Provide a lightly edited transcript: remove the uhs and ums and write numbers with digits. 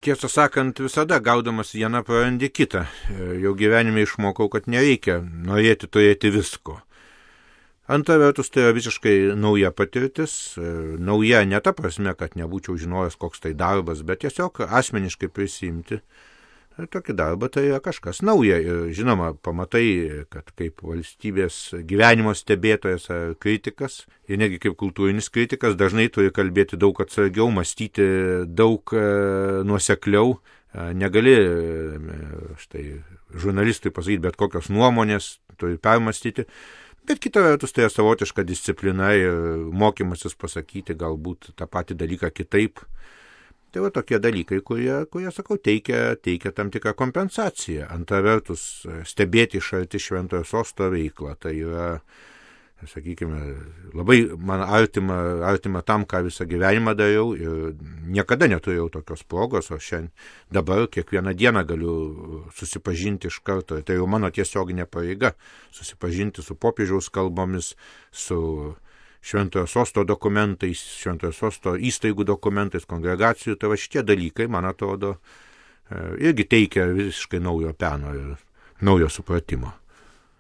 Tiesą sakant, visada gaudamas vieną prarandi kitą. Jau gyvenime išmokau, kad nereikia norėti turėti visko. Antra vertus, tai yra visiškai nauja patirtis. Nauja ne ta prasme, kad nebūčiau žinojęs, koks tai darbas, bet tiesiog asmeniškai prisimti tokį darbą, tai yra kažkas nauja. Ir žinoma, pamatai, kad kaip valstybės gyvenimo stebėtojas ar kritikas, ir negi kaip kultūrinis kritikas, dažnai turi kalbėti daug atsargiau, mąstyti daug nuosekliau. Negali štai žurnalistui pasakyti bet kokios nuomonės, turi permastyti. Bet kita vertus, tai yra savotiška disciplina ir mokymasis pasakyti galbūt tą patį dalyką kitaip. Tai va tokie dalykai, kurie sakau, teikia tam tikrą kompensaciją. Antra vertus, stebėti iš arti Šventojo Sosto veiklą, tai yra, sakykime, labai man artima tam, ką visą gyvenimą dariau ir niekada neturėjau tokios progos, o šiandien dabar kiekvieną dieną galiu susipažinti iš karto. Tai jau mano tiesioginė pareiga susipažinti su popiežiaus kalbomis, su Šventojo Sosto dokumentais, Šventojo Sosto įstaigų dokumentais, kongregacijų. Tai va šitie dalykai, man atrodo, irgi teikia visiškai naujo peno ir naujo supratimo.